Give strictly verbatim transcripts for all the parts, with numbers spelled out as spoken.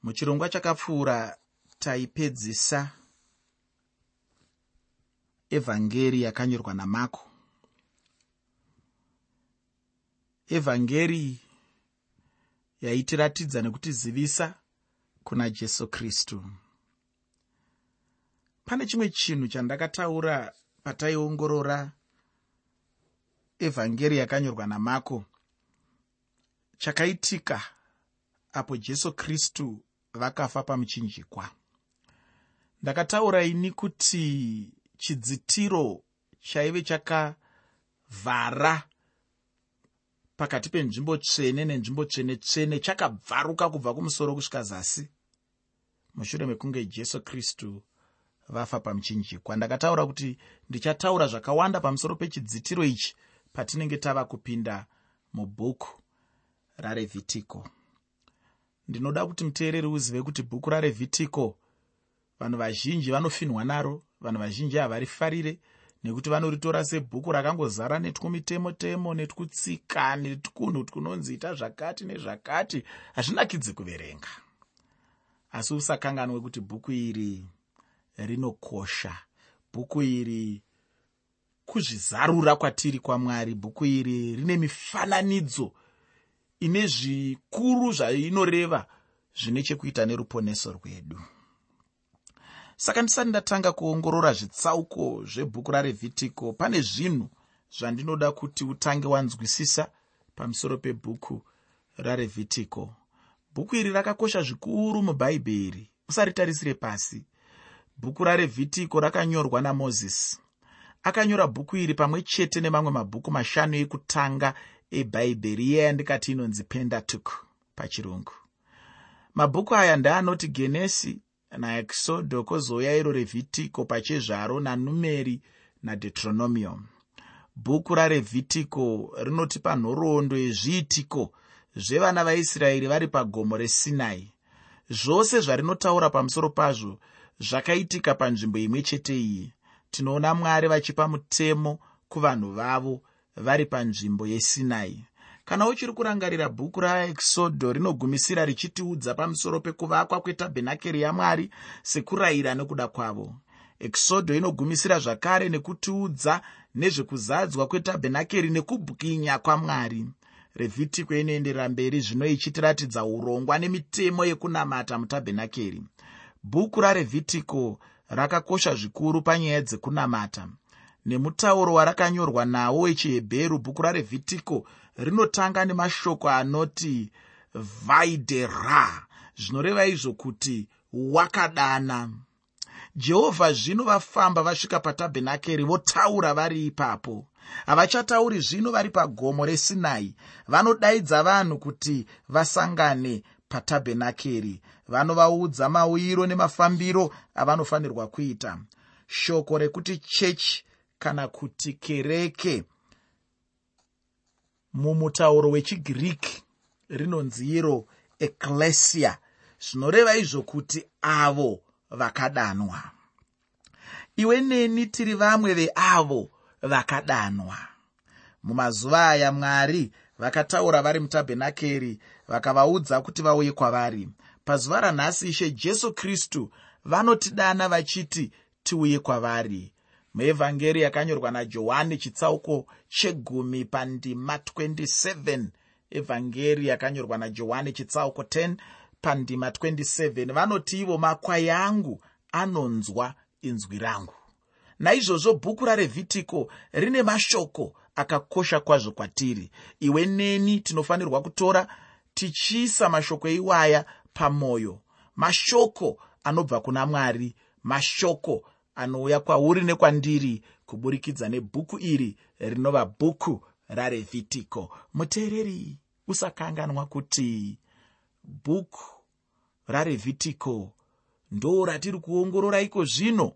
Muchirongwa chakapfuura taipedzisa evhangeri yakanyorwa naMako. Evhangeri yaitiratidza nekutizivisa kuna Jesu Kristu. Pane chimwe chinhu chandakataura pataiongorora evhangeri yakanyorwa naMako, chakaitika apo Jesu Kristu vakafa pamuchinjikwa. Ndakataura ini kuti chidzitiro chaive chakavhara pakati penzvimbo tsvene nenzvimbo tsvene tsvene chakabvaruka kubva kumusoro kusvika zasi mushure mekunge Jesu Kristu vafa pamuchinjikwa. Ndakataura kuti ndichataura zvakawanda pamusoro pechidzitiro ichi patinenge tava kupinda mubhuku raRevhitiko. Ndinoda kuti muteereri uzive kuti bhuku raRevhitiko vanhu vazhinji vanofinhwa naro, vanhu vazhinji havarifarire nekuti vanoritora sebhuku rakangozara netwumitemo-temo netwutsika netwunhu twunonzi ita zvakati nezvakati, hazvinakidzi kuverenga. Asi usakanganwe kuti bhuku iri rinokosha, bhuku iri kuzvizarura kwatiri kwaMwari, bhuku iri rine mifananidzo ine zvikuru zvainoreva zvine chekuita neruponeso rwedu. Saka ndisati ndatanga kuongorora zvitsauko zvebhuku raRevhitiko, pane zvinhu zvandinoda kuti utange wanzwisisa pamusoro pebhuku raRevhitiko. Bhuku iri rakakosha zvikuru muBhaibheri, usaritarisire pasi. Bhuku raRevhitiko rakanyorwa naMozisi. Akanyora bhuku iri pamwe chete nemamwe mabhuku mashanu ekutanga eBhaibheri, iye yandikati inonzi Pentateuch pachirungu. Mabhuku aya ndeanoti Genesi naExodo, kozouya iro Revhitiko pachezvaro, naNumeri naDeuteronomio. Bhuku raRevhitiko rinotipa nhoroondo yezviitiko zvevana vaIsraeri vari pagomo reSinai. Zvose zvarinotaura pamusoro pazvo zvakaitika panzvimbo imwe chete iyi. Tinoona Mwari vachipa mutemo kuvanhu vavo vari panzvimbo yeSinai. Kana uchiri kurangarira, bhuku raExodo rinogumisira richitiudza pamusoro pekuvakwa kwetabhenakeri yaMwari sekurayira nekuda kwavo. Exodo inogumisira zvakare nekutiudza nezvekuzadzwa kwetabhenakeri nekubwinya kwaMwari. Revhitiko inoenderera mberi zvino ichitiratidza urongwa nemitemo yekunamata mutabhenakeri. Bhuku raRevhitiko rakakosha zvikuru panyaya dzekunamata. Nemutauro warakanyorwa nawo wechiHebheru, bhuku raRevhitiko rinotanga nemashoko anoti vaidera, zvinoreva izvo kuti wakadana. Jehovha zvino vafamba vasvika patabhenakeri, votaura vari ipapo. Havachatauri zvino vari pagomo reSinai, vanodaidza vanhu kuti vasangane patabhenakeri. Vanovaudza mauyiro nemafambiro avanofanirwa kuita. Shoko rekuti chechi kana kuti kereke mumutauro wechiGiriki rinonzi iro ekklesia, zvinoreva izvo kuti avo vakadanwa. Iwe neni tiri vamwe veavo vakadanwa. Mumazuva aya Mwari vakataura vari mutabhenakeri, vakavaudza kuti vauye kwavari. Pazuva ranhasi Ishe Jesu Kristu vanotidana vachiti tiuye kwavari. Muevhangeri yakanyorwa naJohani chitsauko chegumi pandima twenty seven, evhangeri yakanyorwa naJohani chitsauko ten pandima twenty seven, vanoti ivo makwai angu anonzwa inzwi rangu. Naizvozvo bhuku raRevhitiko rine mashoko akakosha kwazvo kwatiri. Iwe neni tinofanirwa kutora tichiisa mashoko iwaya pamoyo, mashoko anobva kuna Mwari, mashoko anouya kwauri nekwandiri kuburikidza nebhuku iri rinova bhuku raRevhitiko. Muteereri, usakanganwa kuti bhuku raRevhitiko ndo ratiri kuongorora iko zvino.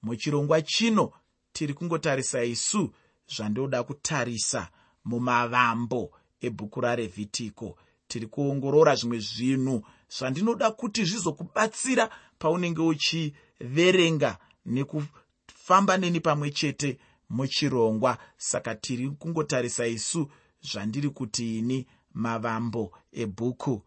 Muchirongwa chino tiri kungotarisa isu zvandoda kutarisa mumavambo ebhuku raRevhitiko. Tiri kuongorora zvimwe zvinhu zvandinoda kuti zvizokubatsira paunenge uchiverenga nekufamba neni pamwe chete muchirongwa. Saka tiri kungotarisa isu zvandiri kuti ini mavambo ebhuku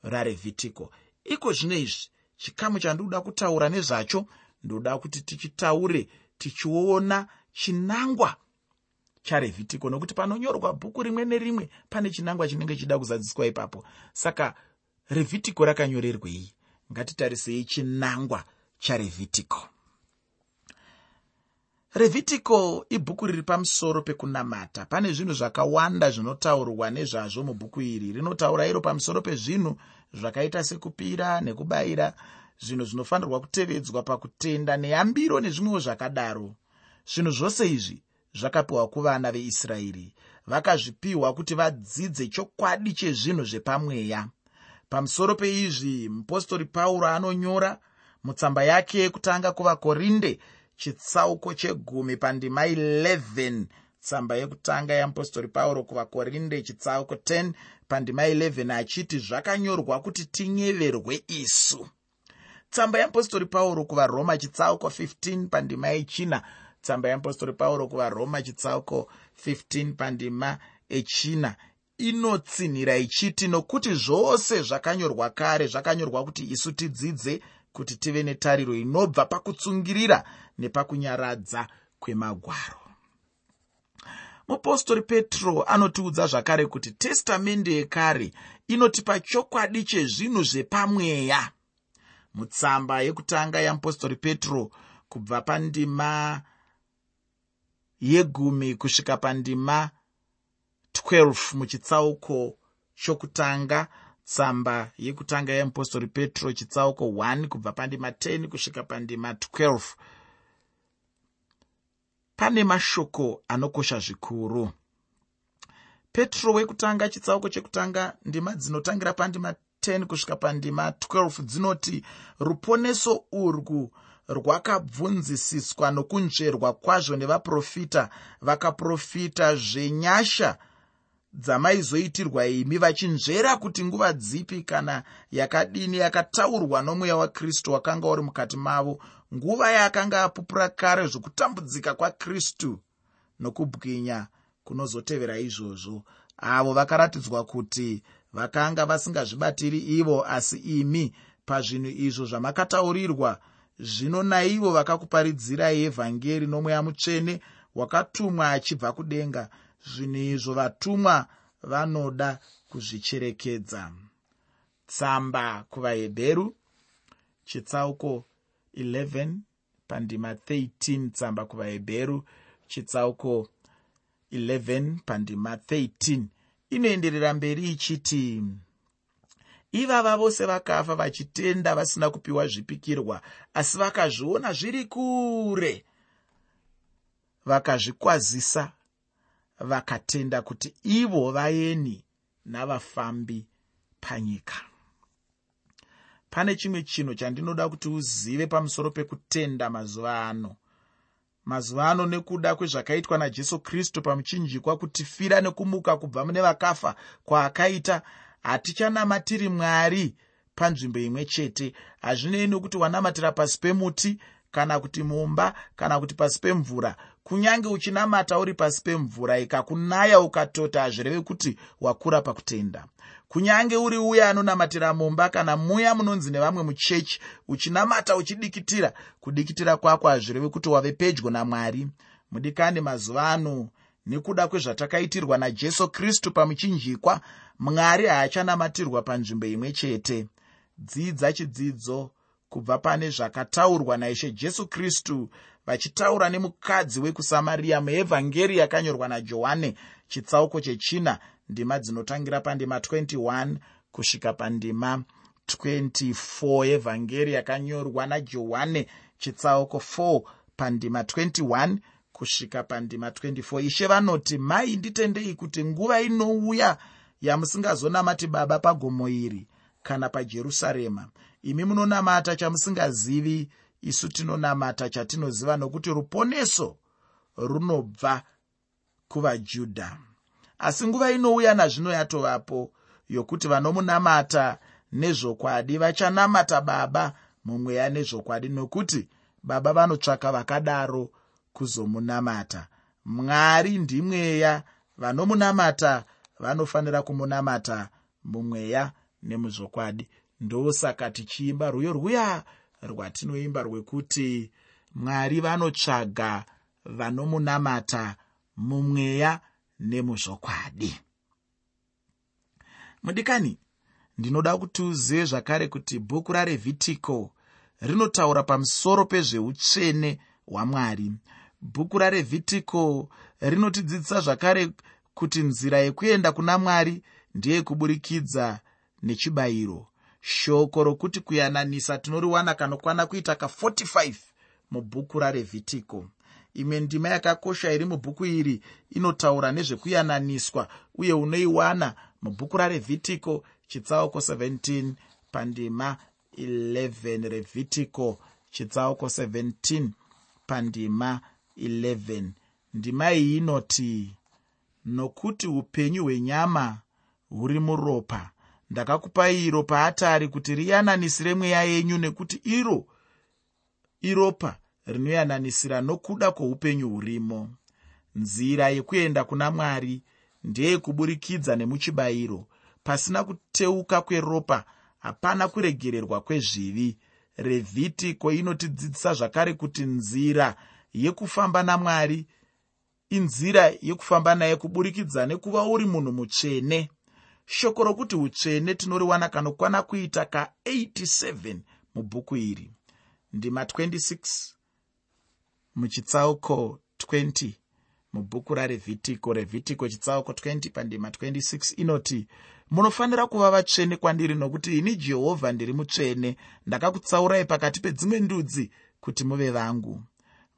raRevhitiko. Iko zvino izvi chikamu chandinoda kutaura nezvacho, ndoda kuti tichitaure tichiona chinangwa chaRevhitiko, nokuti panonyorwa bhuku rimwe nerimwe pane chinangwa chinenge chida kuzadziswa ipapo. Saka Revhitiko rakanyorerwei? Ngatitarisei chinangwa chaRevhitiko. Revhitiko ibhuku riri pamusoro pekunamata. Pane zvinhu zvakawanda zvinotaurwa nezvazvo mubhuku iri. Rinotaura iro pamusoro pezvinhu zvakaita sekupira nekubayira, zvinhu zvinofanirwa kutevedzwa pakutenda neyambiro nezvimwewo zvakadaro. Zvinhu zvose izvi zvakapiwa kuvana veIsraeri, vakazvipiwa kuti vadzidze chokwadi chezvinhu zvepamweya. Pamusoro peizvi mupostori Pauro anonyora mutsamba yake yekutanga kuvaKorinde chitsauko chegumi pandima eleven. Tsamba yekutanga yamupostori Pauro kuvaKorinde chitsauko ten pandima eleven achiti zvakanyorwa kuti tinyeverwe isu. Tsamba yamupostori Pauro kuvaRoma chitsauko fifteen pandima yechina. Tsamba yamupostori Pauro kuvaRoma chitsauko fifteen pandima echina inotsinhira ichiti nokuti zvose zvakanyorwa kare zvakanyorwa kuti isu tidzidze, kuti tive netariro inobva pakutsungirira nepakunyaradza kwemagwaro. Mupostori Petro anotiudza zvakare kuti testamende yekare inotipa chokwadi chezvinhu zvepamweya. Mutsamba yekutanga yamupostori Petro kubva pandima yegumi kusvika pandima twelve muchitsauko chokutanga, tsamba yekutanga yamupostori Petro chitsauko one kubva pandima ten kusvika pandima twelve, pane mashoko anokosha zvikuru. Petro wekutanga chitsauko chekutanga ndima dzinotangira pandima ten kusvika pandima twelve dzinoti ruponeso urwu rwakabvunzisiswa nokunzverwa kwazvo nevaprofita vakaprofita zvenyasha dzamaizoitirwa imi, vachinzvera kuti nguva dzipi kana yakadini yakataurwa nomweya waKristu wakanga uri mukati mavo, nguva yaakanga apupura kare zvokutambudzika kwaKristu nokubwinya kunozotevera izvozvo. Avo vakaratidzwa kuti vakanga vasingazvibatiri ivo, asi imi pazvinhu izvo zvamakataurirwa zvino naivo vakakuparidzirai evhangeri nomweya mutsvene wakatumwa achibva kudenga, zvinhu izvo vatumwa vanoda kuzvicherekedza. Tsamba kuvaHebheru chitsauko eleven pandima thirteen. Tsamba kuvaHebheru chitsauko eleven pandima thirteen inoenderera mberi ichiti ivava vose vakafa vachitenda vasina kupiwa zvipikirwa, asi vakazviona zviri kure, vakazvikwazisa, vakatenda kuti ivo vaeni navafambi panyika. Pane chimwe chinhu chandinoda kuti uzive pamusoro pekutenda mazuva ano. Mazuva ano nekuda kwezvakaitwa naJesu Kristu pamuchinjikwa kutifira nekumuka kubva mune vakafa kwaakaita, hatichanamatiri Mwari panzvimbo imwe chete. Hazvinei nokuti wanamatira pasi pemuti kana kuti mumba kana kuti pasi pemvura. Kunyange uchinamata uri pasi pemvura ikakunaya ukatota, hazvirevi kuti wakura pakutenda. Kunyange uri uya anonamatira mumba kana muya munonzi nevamwe muchechi, uchinamata uchidikitira, kudikitira kwako hazvirevi kuti wave pedyo naMwari. Mudikani, mazuva ano nekuda kwezvatakaitirwa naJesu Kristu pamuchinjikwa, Mwari haachanamatirwa panzvimbo imwe chete. Dzidza chidzidzo kubva pane zvakataurwa naIshe Jesu Kristu vachitaura nemukadzi wekuSamaria muevhangeri yakanyorwa naJohane chitsauko chechina ndima dzinotangira pandima twenty-one kusvika pandima twenty-four. Evhangeri yakanyorwa naJohane chitsauko four pandima twenty-one kusvika pandima twenty-four. Ishe vanoti, mai nditendei kuti nguva inouya yamusingazonamati Baba pagomo iri kana paJerusarema. Imi munonamata chamusingazivi, isu tinonamata chatinoziva, nokuti ruponeso runobva kuvaJudha. Asi nguva inouya nazvino yatovapo yokuti vanomunamata nezvokwadi vachanamata Baba mumweya nezvokwadi, nokuti Baba vanotsvaka vakadaro kuzomunamata. Mwari ndimweya, vanomunamata vanofanira kumunamata mumweya nemuzvokwadi. Ndosaka tichiimba rwiyo rwuya rwatinoimba rwekuti Mwari vanotsvaga vanomunamata mumweya nemuzvokwadi. Mudikani, ndinoda kuti uzive zvakare kuti bhuku raRevhitiko rinotaura pamusoro pezveutsvene hwaMwari. Bhuku raRevhitiko rinotidzidzisa zvakare kuti nzira yekuenda kuna Mwari ndeyekuburikidza nechibayiro. Shoko rokuti kuyananisa tinoriwana kanokwana kuita ka forty-five mubhuku raRevhitiko. Imwe ndima yakakosha iri mubhuku iri inotaura nezvekuyananiswa uye unoiwana mubhuku raRevhitiko chitsauko seventeen pandima eleven. Revhitiko chitsauko seventeen pandima eleven. Ndima iyi inoti, nokuti upenyu hwenyama huri muropa, ndakakupai iro paatari kuti riyananisire mweya yenyu, nekuti iro iropa rinoyananisira nokuda kwoupenyu hurimo. Nzira yekuenda kuna Mwari ndeyekuburikidza nemuchibayiro. Pasina kuteuka kweropa hapana kuregererwa kwezvivi. Revhitiko inotidzidzisa zvakare kuti nzira yekufamba naMwari inzira yekufamba naye kuburikidza nekuva uri munhu mutsvene. Shoko rokuti utsvene tinoriwana kanokwana kuita ka eighty-seven mubhuku iri. Ndima twenty-six muchitsauko twenty mubhuku raRevhitiko. Revhitiko chitsauko twenty pandima twenty-six inoti, munofanira kuva vatsvene kwandiri, nokuti ini Jehovha ndiri mutsvene, ndakakutsaurai pakati pedzimwe ndudzi kuti muve vangu.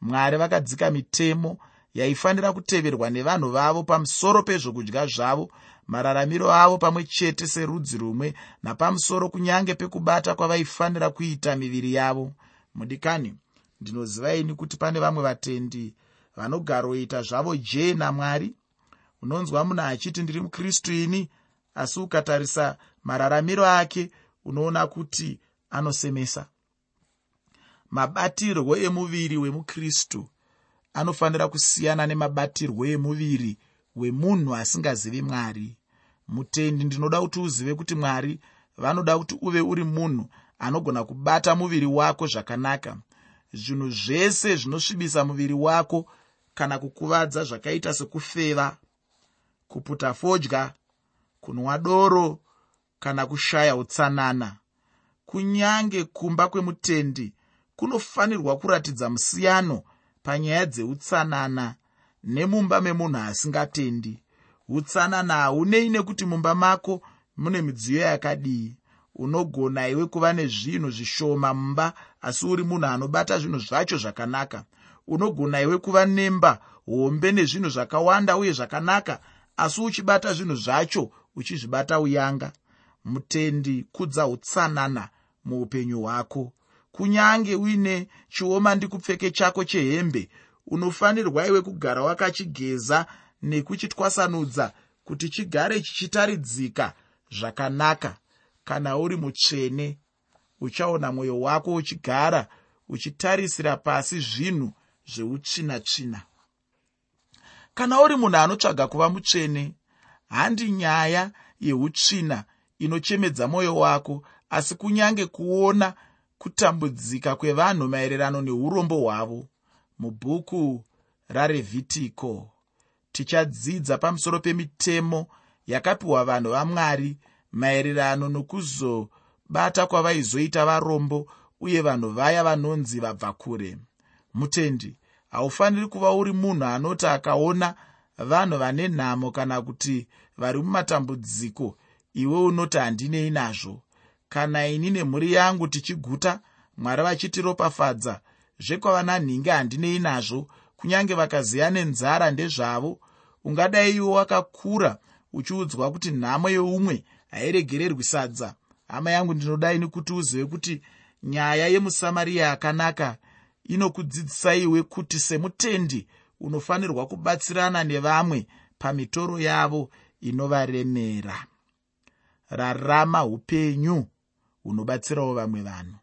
Mwari vakadzika mitemo yaifanira kuteverwa nevanhu vavo pamusoro pezvokudya zvavo, mararamiro avo pamwe chete serudzi rumwe, napamusoro kunyange pekubata kwavaifanira kuita miviri yavo. Mudikani, ndinoziva ini kuti pane vamwe vatendi vanogaroita zvavo jee naMwari. Unonzwa munhu achiti ndiri muKristu ini, asi ukatarisa mararamiro ake unoona kuti anosemesa. Mabatirwo emuviri wemuKristu anofanira kusiyana nemabatirwo emuviri wemunhu asingazivi Mwari. Mutendi, ndinoda kuti uzive kuti Mwari vanoda kuti uve uri munhu anogona kubata muviri wako zvakanaka. Zvinhu zvese zvinosvibisa muviri wako kana kukuvadza zvakaita sekufeva, kuputa fodya, kunwa doro kana kushaya utsanana. Kunyange kumba kwemutendi kunofanirwa kuratidza musiyano panyaya dzeutsanana nemumba memunhu asingatendi. Utsanana haunei nekuti mumba mako mune midziyo yakadii. Unogona iwe kuva nezvinhu zvishoma mumba, asi uri munhu anobata zvinhu zvacho zvakanaka. Unogona iwe kuva nemba hombe nezvinhu zvakawanda uye zvakanaka, asi uchibata zvinhu zvacho uchizvibata uyanga. Mutendi, kudza utsanana muupenyu hwako. Kunyange uine chioma ndikupfeke chako chehembe, unofanirwa iwe kugara wakachigeza nekuchitwasanudza kuti chigare chichitaridzika zvakanaka. Kana uri mutsvene, uchaona mwoyo wako uchigara uchitarisira pasi zvinhu zveutsvina-tsvina. Kana uri munhu anotsvaga kuva mutsvene, handi nyaya yeutsvina inochemedza mwoyo wako, asi kunyange kuona kutambudzika kwevanhu maererano neurombo hwavo. Mubhuku raRevhitiko tichadzidza pamusoro pemitemo yakapiwa vanhu vaMwari maererano nokuzobata kwavaizoita varombo uye vanhu vaya vanonzi vabva kure. Mutendi, haufaniri kuva uri munhu anoti akaona vanhu vane nhamo kana kuti vari mumatambudziko iwe unoti handinei nazvo. Kana ini nemhuri yangu tichiguta, Mwari vachitiropafadza, zvekwava nanhingi handinei nazvo, kunyange vakaziya nenzara ndezvavo. Ungadai iwe wakakura uchiudzwa kuti nhamo yeumwe hairegererwi sadza. Hama yangu, ndinodai nekuti uzive kuti nyaya yemuSamaria akanaka inokudzidzisa iwe kuti semutendi unofanirwa kubatsirana nevamwe pamitoro yavo inovaremera. Rarama upenyu hunobatsirawo vamwe vanhu.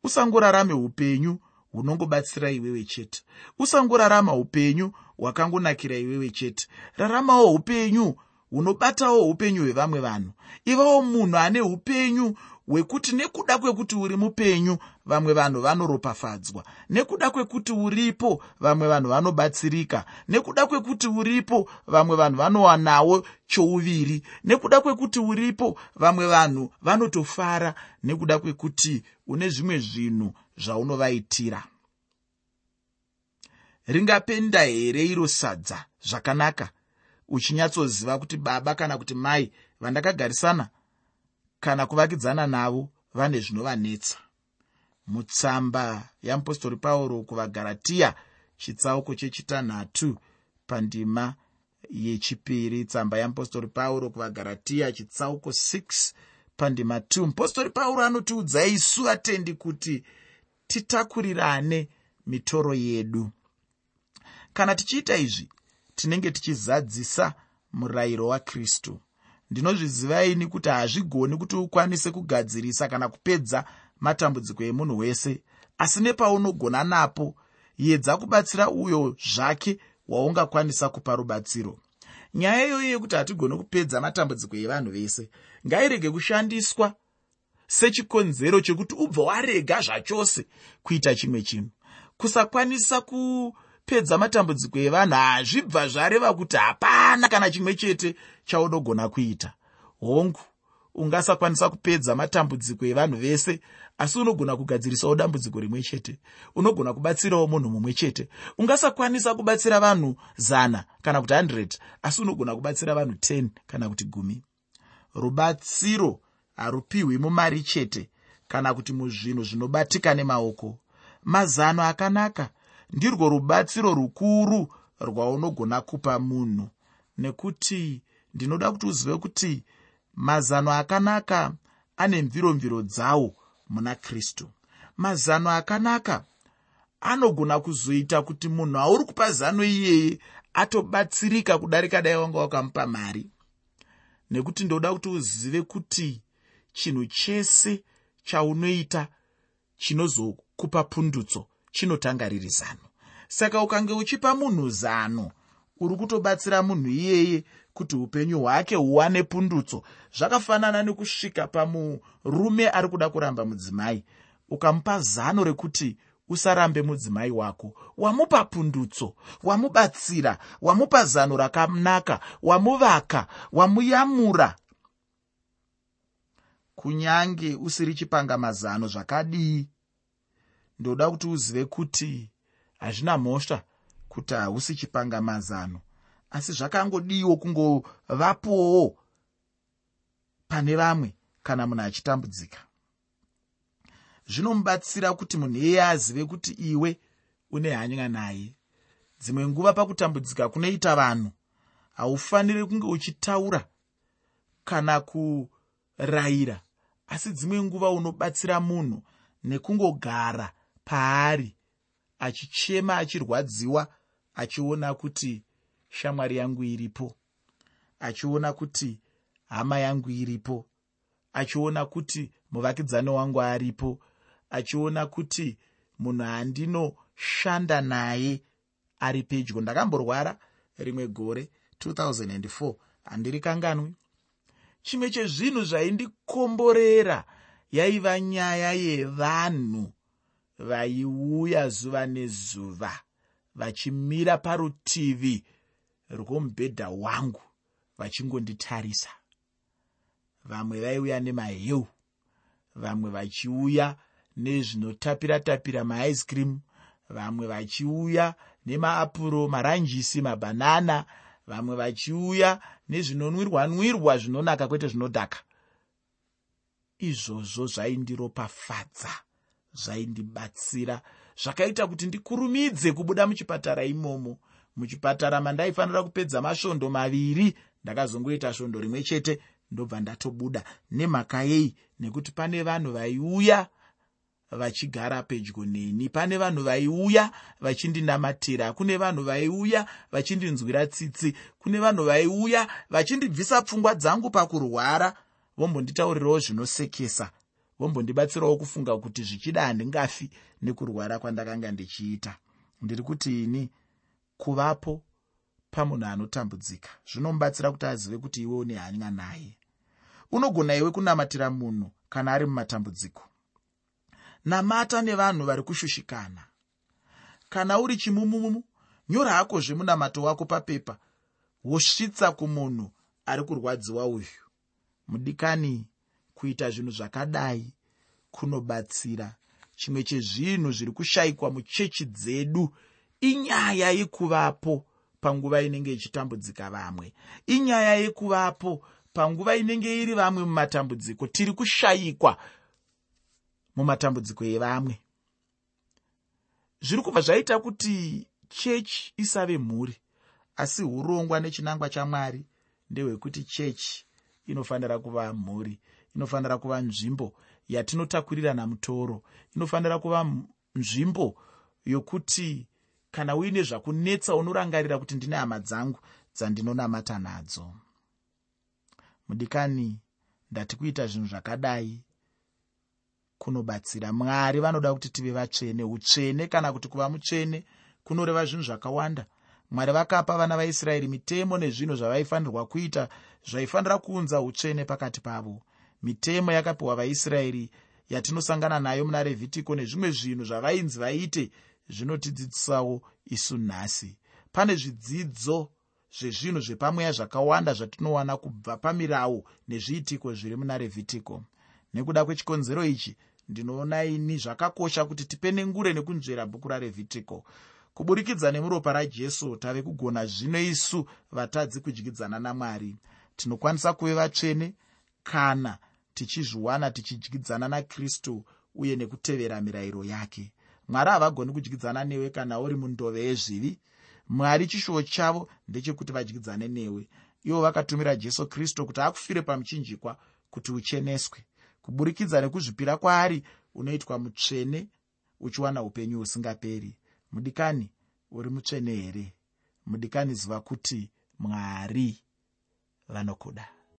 Usangorarame upenyu hunongobatsira iwewe chete. Usangorarama upenyu hwakangonakira iwewe chete. Raramawo upenyu hunobatawo upenyu hwevamwe vanhu. Ivawo munhu ane upenyu Wekuti nekuda kwekuti uri mupenyu, vamwe vanhu vanoropafadzwa. Nekuda kwekuti uripo, vamwe vanhu vanobatsirika. Nekuda kwekuti uripo, vamwe vanhu vanowanawo chouviri. Nekuda kwekuti uripo, vamwe vanhu vanotofara nekuda kwekuti une zvimwe zvinhu zvaunovaitira. Ringapenda here iro sadza zvakanaka uchinyatsoziva kuti baba kana kuti mai vandakagarisana kana kuvakidzana navo vane zvinovanetsa? Mutsamba yamupostori Pauro kuvaGaratiya, chitsauko chechitanhatu pandima yechipiri, tsamba yamupostori Pauro kuvaGaratiya chitsauko six pandima two, mupostori Pauro anotiudza isu vatendi kuti titakurirane mitoro yedu. Kana tichiita izvi, tinenge tichizadzisa murayiro waKristu. Ndinozviziva ini kuti hazvigoni kuti ukwanise kugadzirisa kana kupedza matambudziko emunhu wese, asi nepaunogona napo, yedza kubatsira uyo zvake waungakwanisa kupa rubatsiro. Nyaya iyoyo yekuti hatigoni kupedza matambudziko evanhu vese ngairege kushandiswa sechikonzero chekuti ubva warega zvachose kuita chimwe chinhu. Kusakwanisa kupedza matambudziko evanhu hazvibva zvareva kuti hapana kana chimwe chete chaunogona kuita. Hongu, ungasakwanisa kupedza matambudziko evanhu vese, asi unogona kugadzirisawo dambudziko rimwe chete. Unogona kubatsirawo munhu mumwe chete. Ungasakwanisa kubatsira vanhu zana kana kuti hundred, asi unogona kubatsira vanhu ten kana kuti gumi. Rubatsiro harupiwi mumari chete kana kuti muzvinhu zvinobatika nemaoko. Mazano akanaka ndirwo rubatsiro rukuru rwaunogona kupa munhu, nekuti ndinoda kuti uzive kuti mazano akanaka ane mviromviro dzawo muna Kristu. Mazano akanaka anogona kuzoita kuti munhu auri kupa zano iyeye atobatsirika kudarika dai wanga wakamupa mari. Nekuti ndoda kuti uzive kuti chinhu chese chaunoita chinozokupa pundutso chinotanga riri zano. Saka ukange uchipa munhu zano, uri kutobatsira munhu iyeye kuti upenyu hwake huwane pundutso. Zvakafanana nekusvika pamurume ari kuda kuramba mudzimai, ukamupa zano rekuti usarambe mudzimai wako, wamupa pundutso, wamubatsira, wamupa zano rakanaka, wamuvaka, wamuyamura. Kunyange usiri chipangamazano zvakadii, ndoda kuti uzive kuti hazvina mhosva kuti hausi chipangamazano, asi zvakangodiwo kungovapowo pane vamwe kana munhu achitambudzika. Zvinomubatsira kuti munhu iyeye azive kuti iwe une hanya naye. Dzimwe nguva pakutambudzika kunoita vanhu, haufaniri kunge uchitaura kana kurayira, asi dzimwe nguva unobatsira munhu nekungogara paari achichema, achirwadziwa, achiona kuti shamwari yangu iripo, achiona kuti hama yangu iripo, achiona kuti muvakidzani wangu aripo, achiona kuti munhu andinoshanda naye ari pedyo. Ndakamborwara rimwe gore two thousand and four, handirikanganwi. Chimwe chezvinhu zvaindikomborera yaiva nyaya yevanhu vaiuya zuva nezuva vachimira parutivi rwomubhedha wangu vachingonditarisa. Vamwe vaiuya nemaheu, vamwe vachiuya nezvinotapira-tapira maice cream, vamwe vachiuya nemaapuro, maranjisi, mabhanana, vamwe vachiuya nezvinonwirwa-nwirwa zvinonaka kwete zvinodhaka. Izvozvo zvaindiropafadza, zvaindibatsira, zvakaita kuti ndikurumidze kubuda muchipatara imomo. Muchipatara mandaifanira kupedza masvondo maviri, ndakazongoita svondo rimwe chete ndobva ndatobuda. Nemhaka yei? Nekuti pane vanhu vaiuya vachigara pedyo neni, pane vanhu vaiuya vachindinamatira, kune vanhu vaiuya vachindinzwira tsitsi, kune vanhu vaiuya vachindibvisa pfungwa dzangu pakurwara, vombonditaurirawo zvinosekesa, vombondibatsirawo kufunga kuti zvichida handingafi nekurwara kwandakanga ndichiita. Ndiri kuti ini kuvapo pamunhu anotambudzika zvinomubatsira kuti azive kuti iwe une hanya naye. Unogona iwe kunamatira munhu kana ari mumatambudziko. Namata nevanhu vari kushushikana. Kana uri chimumumu, nyora hakozve munamato wako papepa, wosvitsa kumunhu ari kurwadziwa uyu. Mudikani, kuita zvinhu zvakadai kunobatsira. Chimwe chezvinhu zviri kushayikwa muchechi dzedu inyaya yekuvapo panguva inenge ichitambudzika vamwe, inyaya yekuvapo panguva inenge iri vamwe mumatambudziko. Tiri kushayikwa mumatambudziko evamwe. Zviri kubva zvaita kuti chechi isave mhuri, asi urongwa nechinangwa chaMwari ndehwekuti chechi inofanira kuva mhuri, inofanira kuva nzvimbo yatinotakurirana mutoro, inofanira kuva nzvimbo yokuti kana uine zvakunetsa unorangarira kuti ndine hama dzangu dzandinonamata nadzo. Mudikani, ndati kuita zvinhu zvakadai kunobatsira. Mwari vanoda kuti tive vatsvene. Utsvene kana kuti kuva mutsvene kunoreva zvinhu zvakawanda. Mwari vakapa vana vaIsraeri mitemo nezvinhu zvavaifanirwa kuita zvaifanira kuunza utsvene pakati pavo. Mitemo yakapiwa vaIsraeri yatinosangana nayo muna Revhitiko nezvimwe zvinhu zvavainzi vaite zvinotidzidzisawo isu nhasi. Pane zvidzidzo zvezvinhu zvepamweya zvakawanda zvatinowana kubva pamirau nezviitiko zviri muna Revhitiko. Nekuda kwechikonzero ichi, ndinoona ini zvakakosha kuti tipenengure nekunzvera bhuku raRevhitiko. Kuburikidza nemuropa raJesu tave kugona zvino isu vatadzi kudyidzana naMwari. Tinokwanisa kuve vatsvene kana tichizviwana tichidyidzana naKristu uye nekutevera mirayiro yake. Mwari havagoni kudyidzana newe kana uri mundove yezvivi. Mwari chishuwo chavo ndechekuti vadyidzane newe. Ivo vakatumira Jesu Kristu kuti akufire pamuchinjikwa kuti ucheneswe. Kuburikidza nekuzvipira kwaari unoitwa mutsvene uchiwana upenyu husingaperi. Mudikani, uri mutsvene here? Mudikani, ziva kuti Mwari vanokuda.